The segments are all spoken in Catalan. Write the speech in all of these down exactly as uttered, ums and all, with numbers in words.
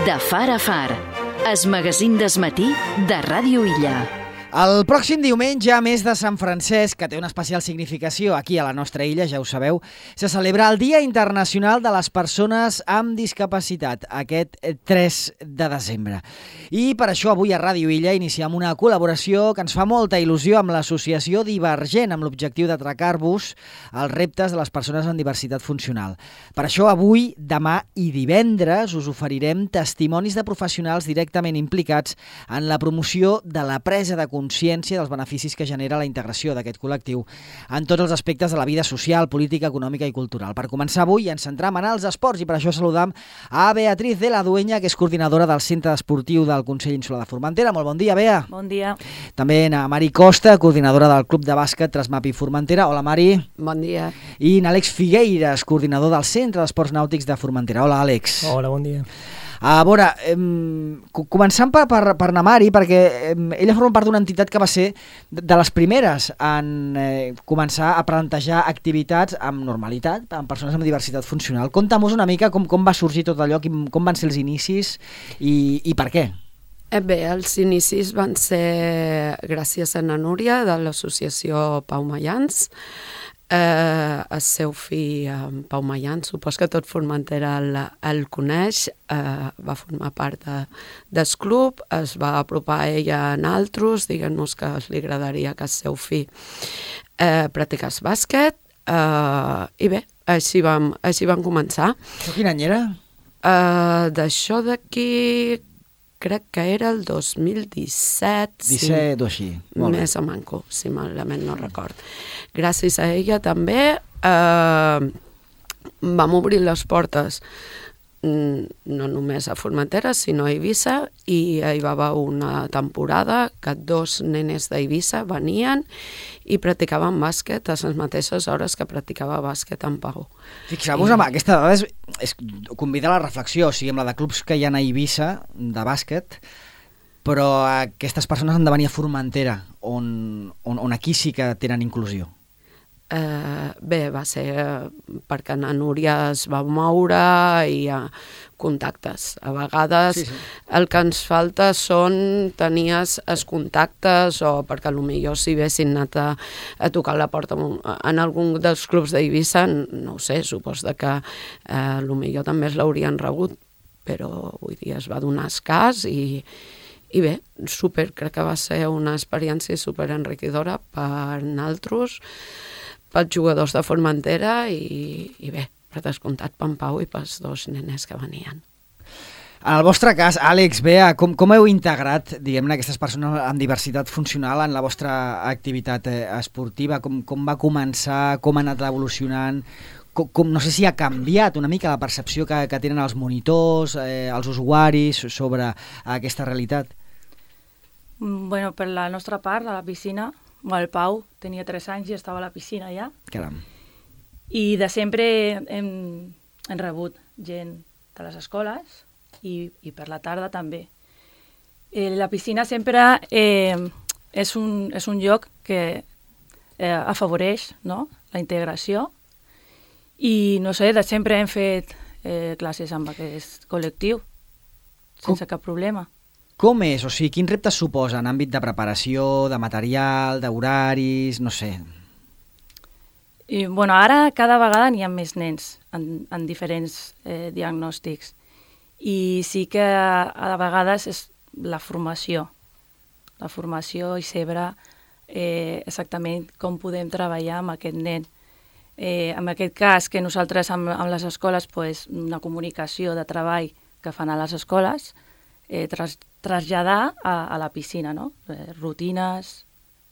De far a far, es magazín desmatí de Ràdio Illa. El pròxim diumenge, a més de Sant Francesc, que té una especial significació aquí a la nostra illa, ja ho sabeu, se celebra el Dia Internacional de les Persones amb Discapacitat, aquest tres de desembre. I per això avui a Ràdio Illa iniciem una col·laboració que ens fa molta il·lusió amb l'associació Divergent, amb l'objectiu d'atracar-vos als reptes de les persones amb diversitat funcional. Per això avui, demà i divendres us oferirem testimonis de professionals directament implicats en la promoció de la presa de consciència consciència dels beneficis que genera la integració d'aquest col·lectiu en tots els aspectes de la vida social, política, econòmica i cultural. Per començar avui ens centram en els esports i per això saludam a Beatriz de la Dueña, que és coordinadora del Centre Esportiu del Consell Insular de Formentera. Molt bon dia, Bea. Bon dia. També a Mari Costa, coordinadora del Club de Bàsquet Trasmapi Formentera. Hola, Mari. Bon dia. I n'Àlex Figueiras, coordinador del Centre d'Esports Nàutics de Formentera. Hola, Àlex. Hola, bon dia. A veure, eh, començant per, per, per na Mari, perquè eh, ella forma part d'una entitat que va ser de les primeres en eh, començar a plantejar activitats amb normalitat, amb persones amb diversitat funcional. Conta'm-nos una mica com, com va sorgir tot allò, com, com van ser els inicis i, i per què. Eh bé, els inicis van ser gràcies a na Núria de l'associació Pau Mayans. Eh, el seu fill, eh, Pau Mayans, supos que tot Formentera el, el coneix, eh, va formar part de, del club, es va apropar a ella a altres, diguent-nos que li agradaria que el seu fill eh, practicés bàsquet, eh, i bé, així vam, així vam començar. Això quin any era? Eh, D'això d'aquí crec que era el dos mil disset. disset o així. Més o manco, si malament no record. Gràcies a ella també eh, vam obrir les portes no només a Formentera, sinó a Eivissa, i hi va haver una temporada que dos nenes d'Eivissa venien i practicaven bàsquet a les mateixes hores que practicava bàsquet en Pau. Fixeu-vos, I... aquesta dada és, és, convida a la reflexió, o sigui, amb la de clubs que hi ha a Eivissa de bàsquet, però aquestes persones han de venir a Formentera, on, on, on aquí sí que tenen inclusió. Eh, bé, va ser perquè na Núria es va moure i hi ha contactes. A vegades sí, sí. El que ens falta són tenies els contactes, o perquè potser si haguessin anat a, a tocar la porta en algun dels clubs d'Eivissa, no ho sé, supos que eh, potser també es l'haurien rebut, però vull dir, es va donar escàs i I bé, super, crec que va ser una experiència super enriquidora per nosaltres, pels jugadors de Formentera i, i bé, per descomptat per en Pau i pels dos nenes que venien. En el vostre cas, Àlex, Bea, com, com heu integrat, diguem-ne, aquestes persones amb diversitat funcional en la vostra activitat eh, esportiva? Com, com va començar? Com ha anat evolucionant? Com, com, no sé si ha canviat una mica la percepció que, que tenen els monitors, eh, els usuaris sobre aquesta realitat? Bueno, per la nostra part, a la piscina, el Pau tenia tres anys i estava a la piscina ja. Caram. I de sempre hem, hem rebut gent de les escoles i, i per la tarda també. Eh, la piscina sempre eh, és, un, és un lloc que eh, afavoreix, no?, la integració i, no sé, de sempre hem fet eh, classes amb aquest col·lectiu sense Com? cap problema. Com és? O sigui, quins reptes suposa en àmbit de preparació, de material, d'horaris, no sé? I, bueno, ara cada vegada n'hi ha més nens en, en diferents eh, diagnòstics i sí que a, a vegades és la formació, la formació i saber eh, exactament com podem treballar amb aquest nen. Eh, en aquest cas, que nosaltres amb, amb les escoles, pues, una comunicació de treball que fan a les escoles, eh, tras, traslladar a, a la piscina, no? Eh, rutines,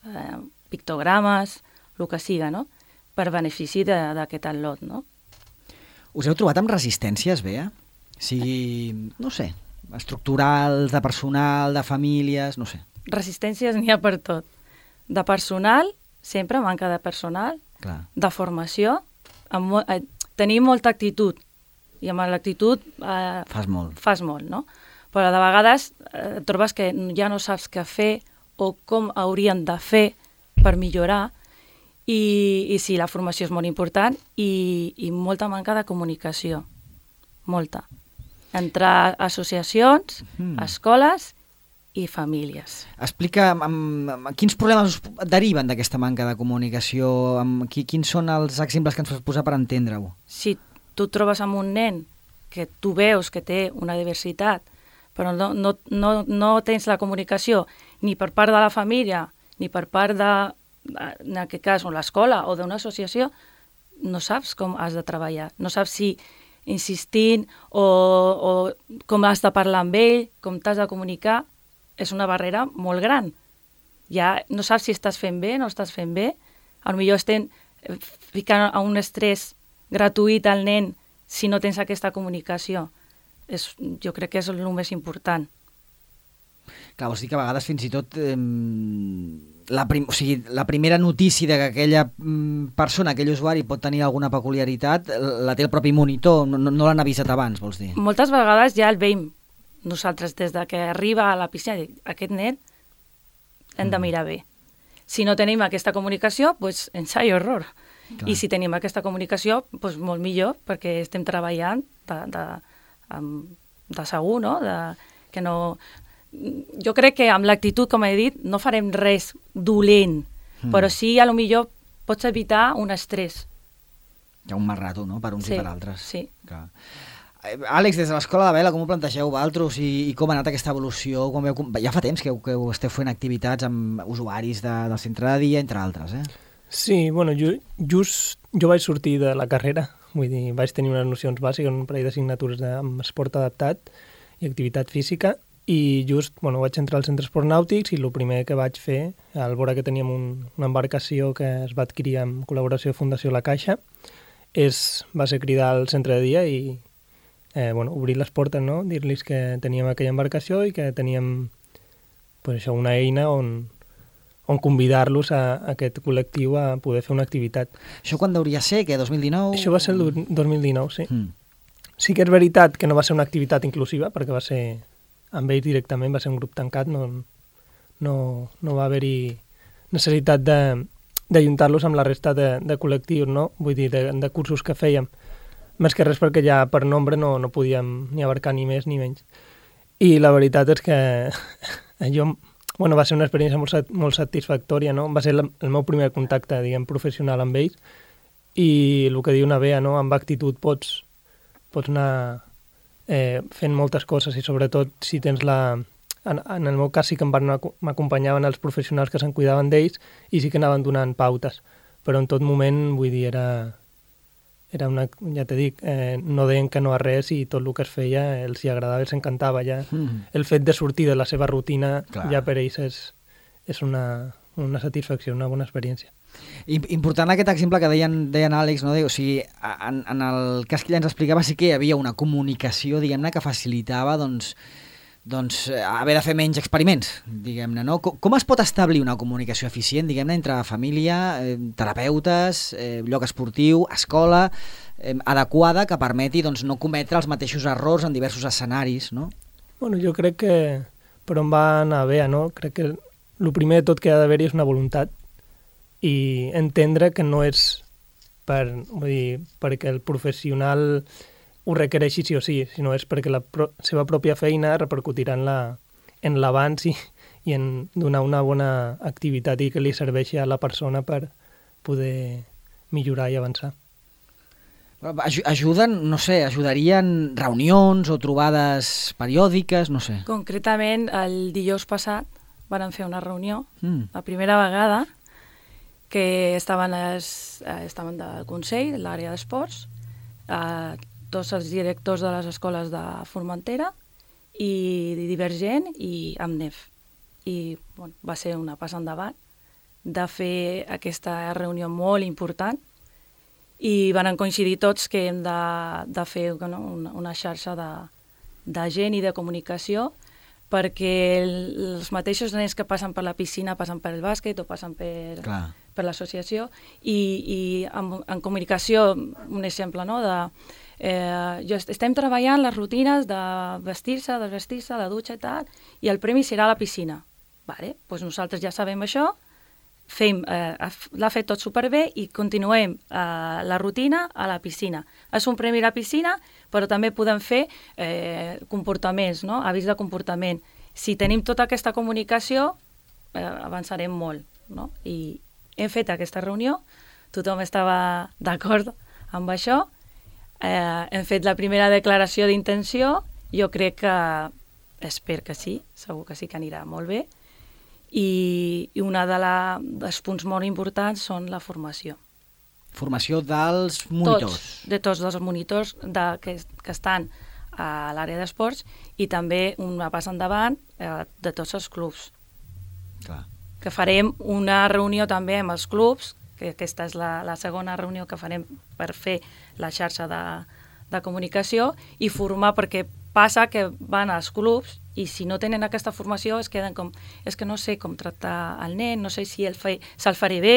eh, pictogrames, el que siga, no?, per benefici d'aquest atlot, no? Us heu trobat amb resistències, Bea? O sigui, no sé, estructurals, de personal, de famílies, no sé. Resistències n'hi ha per tot. De personal, sempre manca de personal. Clar. De formació, amb mo eh, tenir molta actitud, i amb l'actitud eh, fas molt. Fas molt, no? Però de vegades eh, trobes que ja no saps què fer o com haurien de fer per millorar i, i sí, la formació és molt important i, i molta manca de comunicació, molta. entre associacions, mm. escoles i famílies. Explica amb, amb, quins problemes us deriven d'aquesta manca de comunicació, amb, qui, quins són els exemples que ens pots posar per entendre-ho? Si tu et trobes amb un nen que tu veus que té una diversitat, però no, no, no, no tens la comunicació ni per part de la família, ni per part de, en aquest cas, l'escola o d'una associació, no saps com has de treballar, no saps si insistint o, o com has de parlar amb ell, com t'has de comunicar, és una barrera molt gran. Ja no saps si estàs fent bé, no estàs fent bé, potser estem ficant a un estrès gratuït al nen si no tens aquesta comunicació. És, jo crec que és el més important. Clar, vols dir que a vegades fins i tot eh, la, prim, o sigui, la primera notícia de que aquella persona, aquell usuari pot tenir alguna peculiaritat, la té el propi monitor, no, no l'han avisat abans, vols dir? Moltes vegades ja el veiem nosaltres des de que arriba a la piscina, dic, aquest nen hem de mirar bé. Si no tenim aquesta comunicació, doncs ensaio error. Clar. I si tenim aquesta comunicació, doncs molt millor, perquè estem treballant de, de, de segur, no? De, que no... Jo crec que amb l'actitud, com he dit, no farem res dolent, mm. però sí, a lo millor pots evitar un estrès. Hi ha un mal rato, no?, per uns sí, i per altres. Sí. Clar. Àlex, des de l'Escola de Vela, com ho plantegeu vosaltres i, i com ha anat aquesta evolució? Com veu, ja fa temps que, que ho esteu fent activitats amb usuaris de, del centre de dia, entre altres, eh? Sí, bueno, jo, just jo vaig sortir de la carrera, vull dir, vaig tenir unes nocions bàsiques, un parell d'assignatures amb esport adaptat i activitat física, i just, bueno, vaig entrar al centre esport nàutics i el primer que vaig fer, al veure que teníem un, una embarcació que es va adquirir amb col·laboració de Fundació La Caixa, és, va ser cridar al centre de dia i eh, bueno, obrir les portes, no? Dir-los que teníem aquella embarcació i que teníem pues, això, una eina on, on convidar-los a, a aquest col·lectiu a poder fer una activitat. Això quan hauria ser? Que dos mil dinou? Això va ser el dos mil dinou, sí. Mm. Sí que és veritat que no va ser una activitat inclusiva, perquè va ser amb ells directament, va ser un grup tancat, no, no, no va haver-hi necessitat d'ajuntar-los amb la resta de, de col·lectius, no? Vull dir, de, de cursos que fèiem. Més que res perquè ja per nombre no, no podíem ni abarcar ni més ni menys. I la veritat és que jo, bueno, va ser una experiència molt, molt satisfactòria, no? Va ser el, el meu primer contacte, diguem, professional amb ells, i el que diu una Bea, no? Amb actitud pots, pots anar eh, fent moltes coses i sobretot si tens la... En, en el meu cas sí que m'acompanyaven els professionals que se'n cuidaven d'ells i sí que anaven donant pautes, però en tot moment, vull dir, era, era una, ja t'he dit, eh, no deien que no a res i tot el que es feia els hi agradava, els encantava ja. Mm. El fet de sortir de la seva rutina, clar, ja per ells és, és una, una satisfacció, una bona experiència. Important aquest exemple que deien, deien Àlex, no? O sigui, en, en el cas que ella ens explicava sí que hi havia una comunicació, diguem-ne, que facilitava, doncs, doncs haver de fer menys experiments, diguem-ne, no? Com, com es pot establir una comunicació eficient, diguem-ne, entre família, eh, terapeutes, eh, lloc esportiu, escola, eh, adequada, que permeti doncs, no cometre els mateixos errors en diversos escenaris, no? Bueno, jo crec que per on va anar bé, no? Crec que el primer de tot que ha d'haver-hi és una voluntat i entendre que no és per, vull dir, perquè el professional ho requereixi sí o sí, sinó és perquè la pro seva pròpia feina repercutirà en la, en l'abans i, i en donar una bona activitat i que li serveixi a la persona per poder millorar i avançar. Ajuden, no sé, ajudarien reunions o trobades periòdiques, no sé. Concretament, el dijous passat van fer una reunió, mm. la primera vegada, que estaven, els, estaven del Consell, l'àrea d'esports, eh, tots els directors de les escoles de Formentera i Divergent i Amnef. I bueno, va ser una passa endavant de fer aquesta reunió molt important i van coincidir tots que hem de, de fer no, una, una xarxa de, de gent i de comunicació perquè el, els mateixos nens que passen per la piscina passen per el bàsquet o passen per, per l'associació i, i en, en comunicació, un exemple, no?, de Eh, jo est estem treballant les rutines de vestir-se, desvestir-se, la dutxa i tal, i el premi serà a la piscina. Vale, doncs nosaltres ja sabem això, fem, eh, l'ha fet tot superbé i continuem eh, la rutina a la piscina. És un premi a la piscina, però també podem fer eh, comportaments, no? Avís de comportament. Si tenim tota aquesta comunicació, eh, avançarem molt, no? I hem fet aquesta reunió, tothom estava d'acord amb això, eh, hem fet la primera declaració d'intenció, jo crec que, espero que sí, segur que sí que anirà molt bé, i, i un de la, dels punts molt importants són la formació. Formació dels monitors. Tots, de tots els monitors de, que, que estan a l'àrea d'esports i també una passa endavant eh, de tots els clubs. Clar. Que farem una reunió també amb els clubs, que aquesta és la, la segona reunió que farem per fer la xarxa de, de comunicació i formar, perquè passa que van als clubs i si no tenen aquesta formació es queden com, és que no sé com tractar el nen, no sé si el fe, se'l faré bé,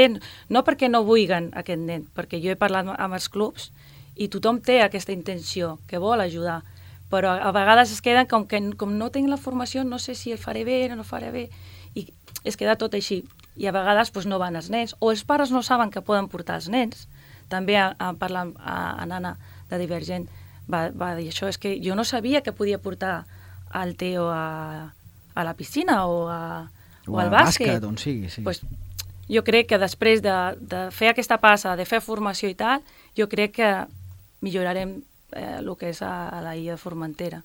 no perquè no vulguin aquest nen, perquè jo he parlat amb els clubs i tothom té aquesta intenció, que vol ajudar, però a vegades es queden com que com no tinc la formació no sé si el faré bé o no el faré bé, i es queda tot així, i a vegades pues, no van els nens, o els pares no saben que poden portar els nens. També a, a parlar a, a Nana de Divergent va, va dir això, és que jo no sabia que podia portar al Teo a, a la piscina o, a, o, o al bàsquet. bàsquet, on sigui, sí. Pues, jo crec que després de, de fer aquesta passa, de fer formació i tal, jo crec que millorarem eh, el que és a, a la illa de Formentera.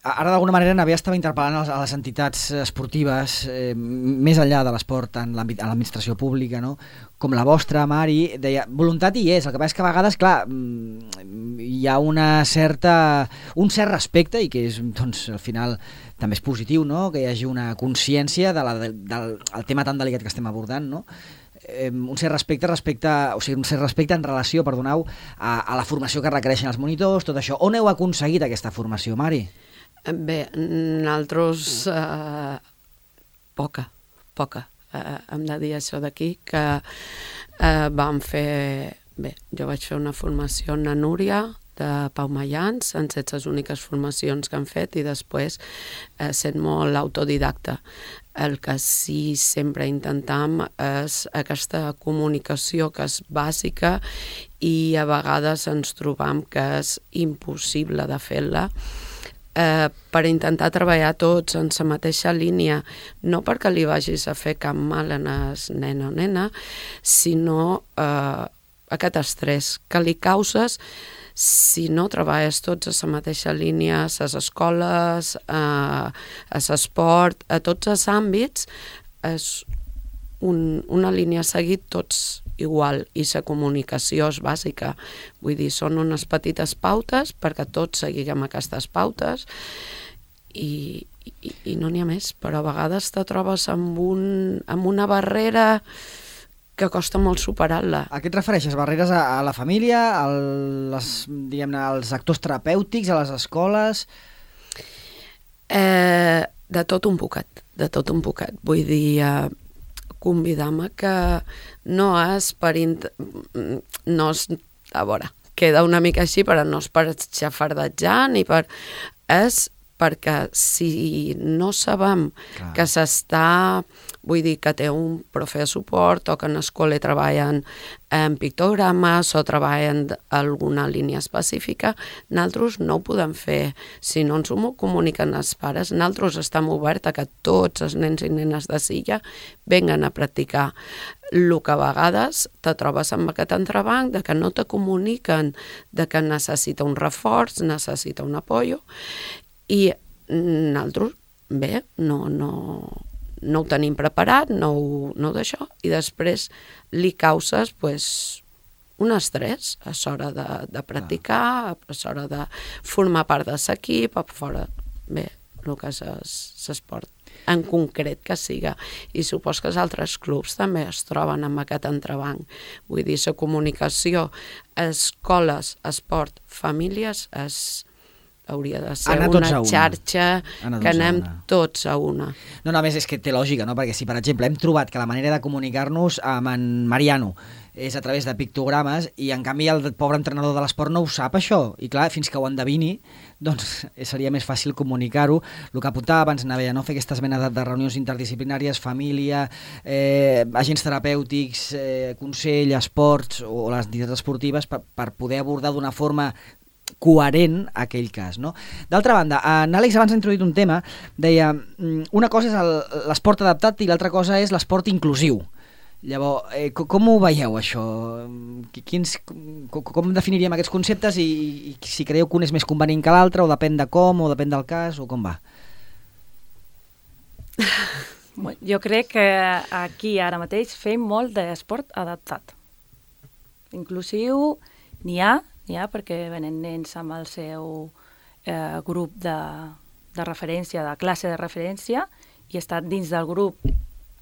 Ara, d'alguna manera, Navia estava interpel·lant a les entitats esportives, eh, més enllà de l'esport en l'administració pública, no? Com la vostra, Mari, deia, voluntat hi és, el que passa és que a vegades, clar, hi ha una certa, un cert respecte, i que és, doncs, al final també és positiu, no?, que hi hagi una consciència de la, del, del el tema tan delicat que estem abordant, no?, eh, un cert respecte respecte, o sigui, un cert respecte en relació, perdoneu, a, a la formació que requereixen els monitors, tot això. On heu aconseguit aquesta formació, Mari? Bé, nosaltres eh, poca, poca. Eh, hem de dir això d'aquí, que eh, vam fer... Bé, jo vaig fer una formació en la Núria de Pau Mayans, han set les úniques formacions que han fet, i després eh, sent molt autodidacta. El que sí sempre intentam és aquesta comunicació que és bàsica i a vegades ens trobam que és impossible de fer-la, Eh, per intentar treballar tots en la mateixa línia, no perquè li vagis a fer cap mal a el nen o nena, sinó eh, aquest estrès que li causes si no treballes tots a la mateixa línia, a les escoles, a, a l'esport, a tots els àmbits, és un, una línia a seguir tots igual, i la comunicació és bàsica. Vull dir, són unes petites pautes perquè tots seguim aquestes pautes i, i, i no n'hi ha més, però a vegades te trobes amb, un, amb una barrera que costa molt superar-la. A què et refereixes? Barreres a, a la família, a les, diguem-ne, als actors terapèutics, a les escoles? Eh, de tot un poquet, de tot un poquet. Vull dir... Eh, convidar-me que no és per... Int... no és... a veure, queda una mica així, però no és per xafardatjar ni per... és perquè si no sabem Clar. que s'està, vull dir, que té un profe de suport o que en l'escola treballen en pictogrames o treballen alguna línia específica, nosaltres no ho podem fer. Si no ens ho comuniquen els pares, nosaltres estem oberts a que tots els nens i nenes de Silla venguen a practicar. El que a vegades te trobes amb aquest entrebanc de que no te comuniquen, de que necessita un reforç, necessita un apoyo, i nosaltres, bé, no, no, no ho tenim preparat, no, no d'això, i després li causes pues, un estrès a l'hora de, de practicar, a l'hora de formar part de l'equip, a fora, bé, el que és l'esport en concret que siga. I supos que els altres clubs també es troben amb aquest entrebanc. Vull dir, la comunicació, escoles, esport, famílies, és hauria de ser Anar una, tots a una. xarxa Anar que tots a anem una. tots a una. No, no, a més és que té lògica, no? Perquè si, per exemple, hem trobat que la manera de comunicar-nos amb en Mariano és a través de pictogrames i, en canvi, el pobre entrenador de l'esport no ho sap, això. I, clar, fins que ho endevini, doncs seria més fàcil comunicar-ho. El que apuntava abans, Neveia, no? Fer aquestes menes de, de reunions interdisciplinàries, família, eh, agents terapèutics, eh, consell, esports o les entitats esportives per, per poder abordar d'una forma coherent aquell cas, no? D'altra banda, en Àlex abans ha introduït un tema, deia, una cosa és l'esport adaptat i l'altra cosa és l'esport inclusiu. Llavors, eh, com ho veieu, això? Quins, com, com definiríem aquests conceptes i, i si creieu que un és més convenient que l'altre, o depèn de com, o depèn del cas, o com va? Jo crec que aquí ara mateix fem molt d'esport adaptat. Inclusiu n'hi ha, n'hi ha perquè venen nens amb el seu eh, grup de, de referència, de classe de referència, i estan dins del grup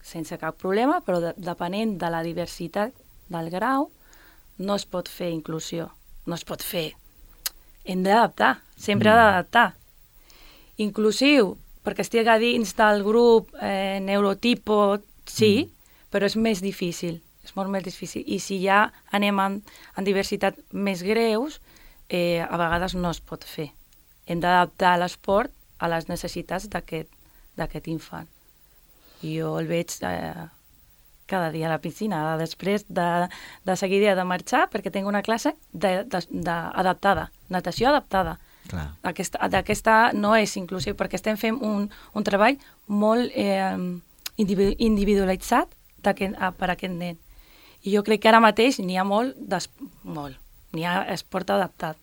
sense cap problema, però de, depenent de la diversitat del grau, no es pot fer inclusió, no es pot fer. Hem d'adaptar, sempre mm. ha d'adaptar. Inclusiu, perquè estigui dins del grup eh, neurotipo, sí, mm. però és més difícil, és molt més difícil. I si ja anem en, en diversitat més greus, eh, a vegades no es pot fer. Hem d'adaptar l'esport a les necessitats d'aquest infant. Jo el veig eh, cada dia a la piscina, després de, de seguida de marxar, perquè tinc una classe de, de, de adaptada, natació adaptada. Aquesta, aquesta no és inclusiu, perquè estem fent un, un treball molt eh, individualitzat per a aquest nen. I jo crec que ara mateix n'hi ha molt, molt, n'hi ha esport adaptat.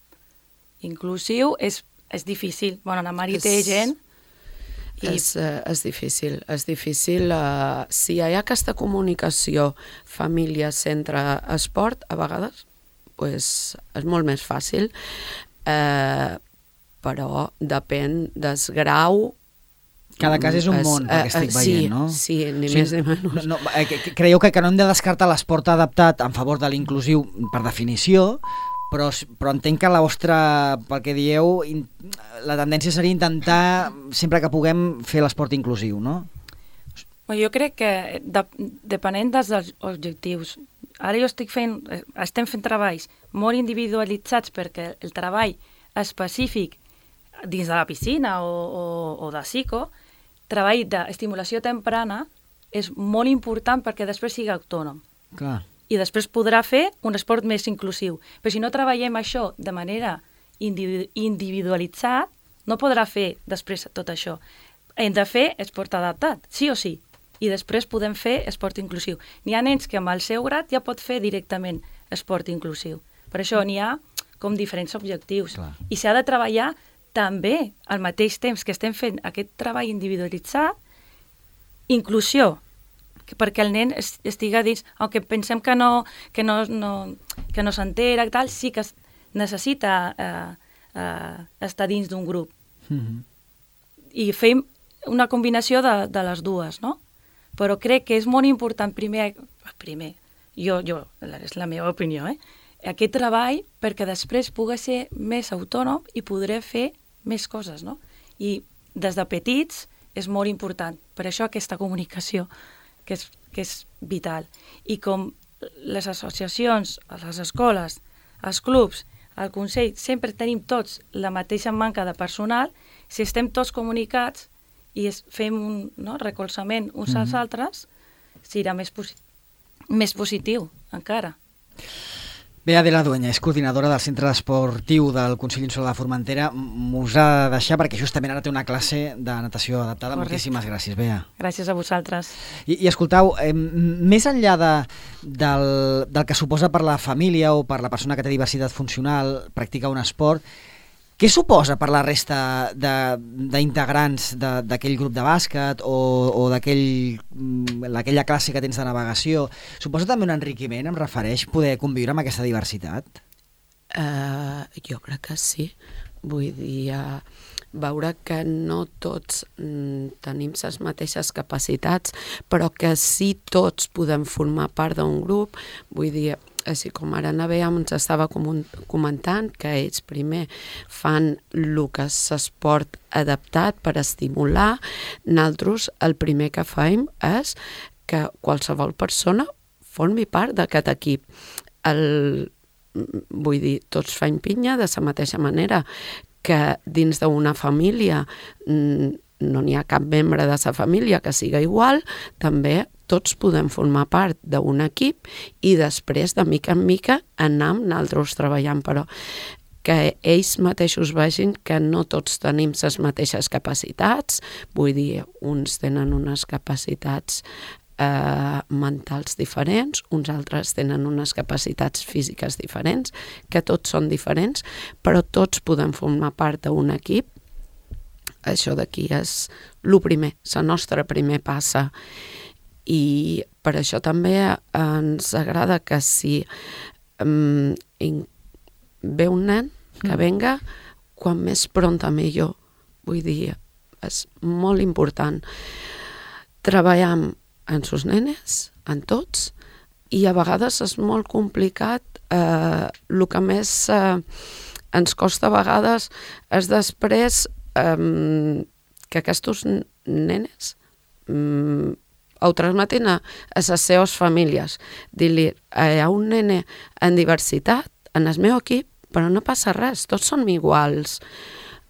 Inclusiu és, és difícil. Bueno, la Mari té gent... I... És, uh, és difícil, és difícil. Uh, si hi ha aquesta comunicació família-centre-esport, a vegades pues, és molt més fàcil, uh, però depèn del grau. Cada cas és un món, es, perquè estic uh, veient, sí, no? Sí, ni sí, més ni menys. No, no, creieu que, que no hem de descartar l'esport adaptat en favor de l'inclusiu per definició, Però, però entenc que la vostra, pel que dieu, in, la tendència seria intentar, sempre que puguem, fer l'esport inclusiu, no? Jo crec que, de, depenent dels objectius, ara jo estic fent, estem fent treballs molt individualitzats perquè el treball específic dins de la piscina o, o, o de psico, treball d'estimulació temprana és molt important perquè després sigui autònom. Clar. I després podrà fer un esport més inclusiu. Però si no treballem això de manera individualitzat, no podrà fer després tot això. Hem de fer esport adaptat, sí o sí. I després podem fer esport inclusiu. N'hi ha nens que amb el seu grad ja pot fer directament esport inclusiu. Per això n'hi ha com diferents objectius. Clar. I s'ha de treballar també al mateix temps que estem fent aquest treball individualitzat, inclusió, perquè el nen estiga dins, aunque pensem que no, que no, no, que no s'entera i tal, sí que necessita eh, eh, estar dins d'un grup. Mm-hmm. I fem una combinació de, de les dues, no? Però crec que és molt important primer, primer, jo, jo, és la meva opinió, eh? Aquest treball perquè després pugui ser més autònom i podré fer més coses, no? I des de petits és molt important. Per això aquesta comunicació, que és, que és vital. I com les associacions, les escoles, els clubs, el Consell, sempre tenim tots la mateixa manca de personal, si estem tots comunicats i es, fem un no, recolzament uns mm-hmm. als altres, serà més, posi més positiu encara. Bé, Adela Dueña, és coordinadora del Centre Esportiu del Consell Insular de Formentera. M'us ha de deixar perquè justament ara té una classe de natació adaptada. Correcte. Moltíssimes gràcies, Bea. Gràcies a vosaltres. I, i escoltau, eh, més enllà de, del, del que suposa per la família o per la persona que té diversitat funcional practicar un esport, què suposa per la resta d'integrants d'aquell grup de bàsquet o, o d'aquella classe que tens de navegació? Suposa també un enriquiment, em refereix, poder conviure amb aquesta diversitat? Uh, jo crec que sí. Vull dir, uh, veure que no tots mm, tenim les mateixes capacitats, però que sí tots podem formar part d'un grup. Vull dir, així com ara Navea ens estava comentant, que ells primer fan el que és esport adaptat per estimular, nosaltres el primer que fem és que qualsevol persona formi part d'aquest equip. El, vull dir, tots fem pinya de la mateixa manera que dins d'una família no n'hi ha cap membre de la família que siga igual, també tots podem formar part d'un equip i després, de mica en mica, anar amb nosaltres treballant, però que ells mateixos vegin que no tots tenim les mateixes capacitats, vull dir, uns tenen unes capacitats eh, mentals diferents, uns altres tenen unes capacitats físiques diferents, que tots són diferents, però tots podem formar part d'un equip. Això d'aquí és el primer, la nostra primer passa. I per això també ens agrada que si um, ve un nen, que venga quan més pronta millor. Vull dir, és molt important treballar amb sus nenes, en tots, i a vegades és molt complicat. Eh, el que més eh, ens costa a vegades és després eh, que aquests nenes eh, ho transmetin a, a les seves famílies. Dir-li, hi ha un nene en diversitat en el meu equip, però no passa res, tots som iguals.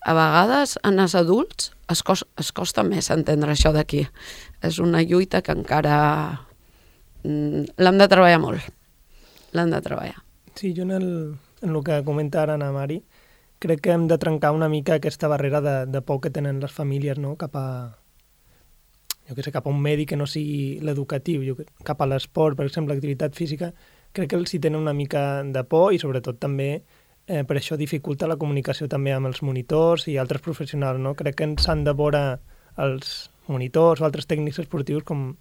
A vegades, en els adults, es costa, es costa més entendre això d'aquí. És una lluita que encara mm, l'hem de treballar molt. L'hem de treballar. Sí, jo en el, en el que comenta ara Ana Mari, crec que hem de trencar una mica aquesta barrera de, de por que tenen les famílies, no?, cap a jo que sé, cap a un medi que no sigui l'educatiu, cap a l'esport, per exemple, l'activitat física, crec que els hi tenen una mica de por i sobretot també eh, per això dificulta la comunicació també amb els monitors i altres professionals, no? Crec que ens han de veure els monitors o altres tècnics esportius com,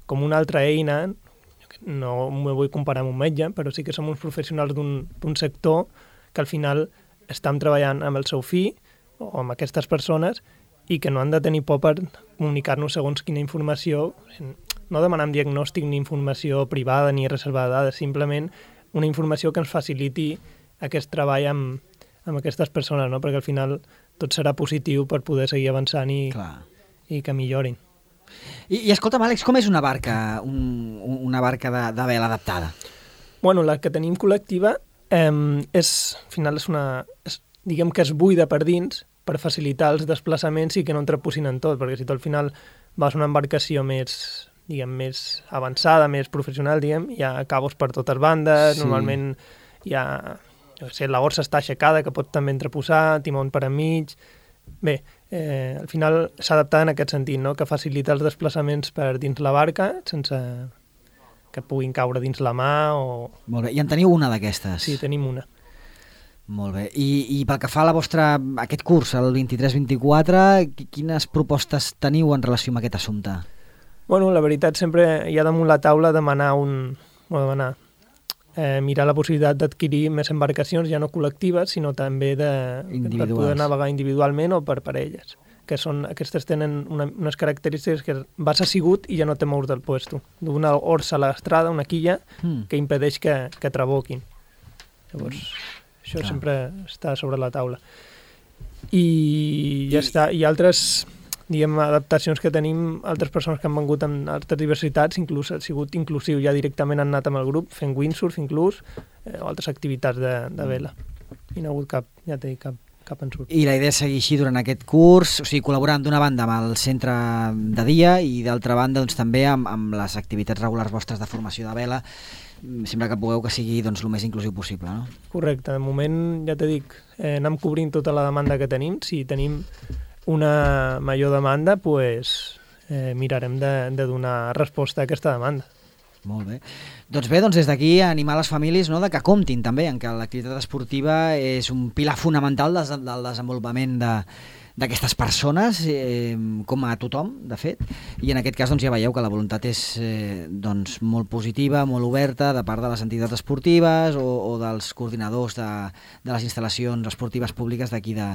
com una altra eina, no me vull comparar amb un metge, però sí que som uns professionals d'un sector que al final estem treballant amb el seu fill o amb aquestes persones i que no han de tenir por per comunicar-nos segons quina informació, no demanant diagnòstic ni informació privada ni reservada de dades, simplement una informació que ens faciliti aquest treball amb, amb aquestes persones, no? Perquè al final tot serà positiu per poder seguir avançant i, i que millorin. I, I escolta'm, Àlex, com és una barca, un, una barca de, de vela adaptada? Bueno, la que tenim col·lectiva eh, és, al final és una, és, diguem que és buida per dins, per facilitar els desplaçaments i que no entrepusin en tot, perquè si tu al final vas a una embarcació més, diguem, més avançada, més professional, diguem, hi ha cabos per totes bandes, sí. Normalment hi ha, jo sé, la orsa està aixecada, que pot també entreposar, timón per enmig. Bé, eh, al final s'ha adaptat en aquest sentit, no?, que facilita els desplaçaments per dins la barca sense que puguin caure dins la mà o... Molt bé, i en teniu una d'aquestes? Sí, tenim una. Molt bé. I, i pel que fa a la vostra, aquest curs, el vint-i-tres vint-i-quatre, quines propostes teniu en relació amb aquest assumpte? Bueno, la veritat, sempre hi ha damunt la taula demanar un... Bueno, demanar, eh, mirar la possibilitat d'adquirir més embarcacions, ja no col·lectives, sinó també de, per poder navegar individualment o per parelles. Que són, aquestes tenen una, unes característiques que vas assigut i ja no te mous del puesto. D'una orsa a l'estrada, una quilla, mm. que impedeix que, que traboquin. Llavors... Mm. Això Clar. Sempre està sobre la taula. I ja I... està. I altres, diguem, adaptacions que tenim, altres persones que han vengut amb altres diversitats, inclús ha sigut inclusiu, ja directament han anat amb el grup, fent windsurf inclús, eh, o altres activitats de, de vela. I no ha hagut cap, ja t'he dit, cap, cap ensurt. I la idea és seguir així durant aquest curs, o sigui, col·laborant d'una banda amb el centre de dia i d'altra banda doncs, també amb, amb les activitats regulars vostres de formació de vela. Sembla que pugueu que sigui doncs, el més inclusiu possible, no? Correcte. De moment, ja t'he dit, eh, anem cobrint tota la demanda que tenim. Si tenim una major demanda, pues, eh, mirarem de, de donar resposta a aquesta demanda. Molt bé. Doncs bé, doncs des d'aquí animar les famílies, no, de que comptin també en que l'activitat esportiva és un pilar fonamental del, del desenvolupament de d'aquestes persones, eh, com a tothom, de fet, i en aquest cas doncs, ja veieu que la voluntat és eh, doncs, molt positiva, molt oberta, de part de les entitats esportives o, o dels coordinadors de, de les instal·lacions esportives públiques d'aquí de,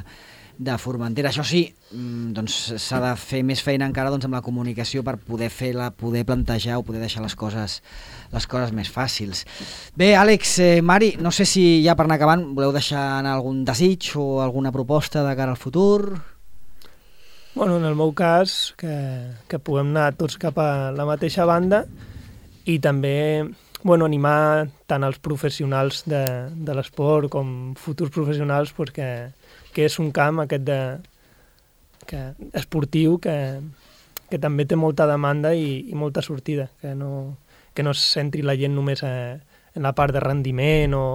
de Formentera. Això sí, doncs s'ha de fer més feina encara doncs, amb la comunicació per poder fer la, poder plantejar o poder deixar les coses, les coses més fàcils. Bé, Àlex, eh, Mari, no sé si ja per anar acabant voleu deixar anar algun desig o alguna proposta de cara al futur? Bueno, en el meu cas, que, que puguem anar tots cap a la mateixa banda i també bueno, animar tant els professionals de, de l'esport com futurs professionals pues, que, que és un camp aquest de, que, esportiu que, que també té molta demanda i, i molta sortida, que no, que no es centri la gent només a, en la part de rendiment o,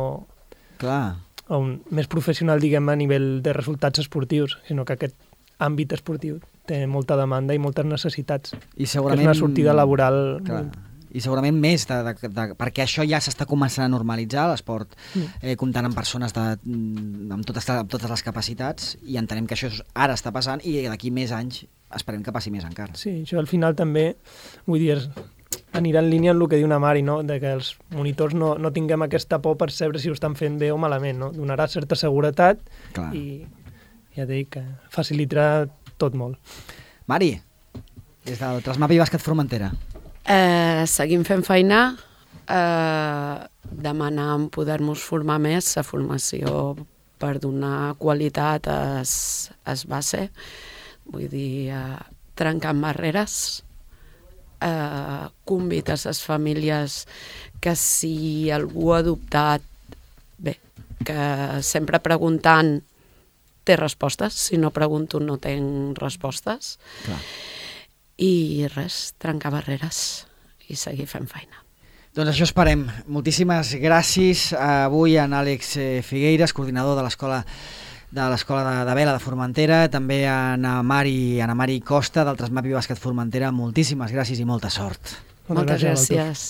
Clar. o un, més professional diguem a nivell de resultats esportius, sinó que aquest àmbit esportiu té molta demanda i moltes necessitats. I segurament... És una sortida laboral... Clar. I segurament més, de, de, de, perquè això ja s'està començant a normalitzar, l'esport, eh, comptant amb persones de, amb, totes, amb totes les capacitats, i entenem que això ara està passant i d'aquí més anys esperem que passi més encara. Sí, això al final també, vull dir, anirà en línia amb el que diu una Mari, no? De que els monitors no, no tinguem aquesta por per saber si ho estan fent bé o malament, no? Donarà certa seguretat. Clar. I ja et dic que facilitarà tot molt. Mari, des del Trasmapi Bàsquet Formentera. Eh, seguim fent feina, eh, demanar poder-nos formar més, la formació per donar qualitat es, es va ser, vull dir, eh, trencant barreres, eh, convites a les famílies que si algú ha adoptat, bé, que sempre preguntant té respostes, si no pregunto no tenc respostes. Clar. I res, trencar barreres i seguir fent feina. Doncs això esperem. Moltíssimes gràcies avui a en Àlex Figueiras, coordinador de l'escola de l'escola de, de vela de Formentera, també a Ana Mari, Ana Mari Costa del Trasmapi Bàsquet Formentera. Moltíssimes gràcies i molta sort. Moltes gràcies.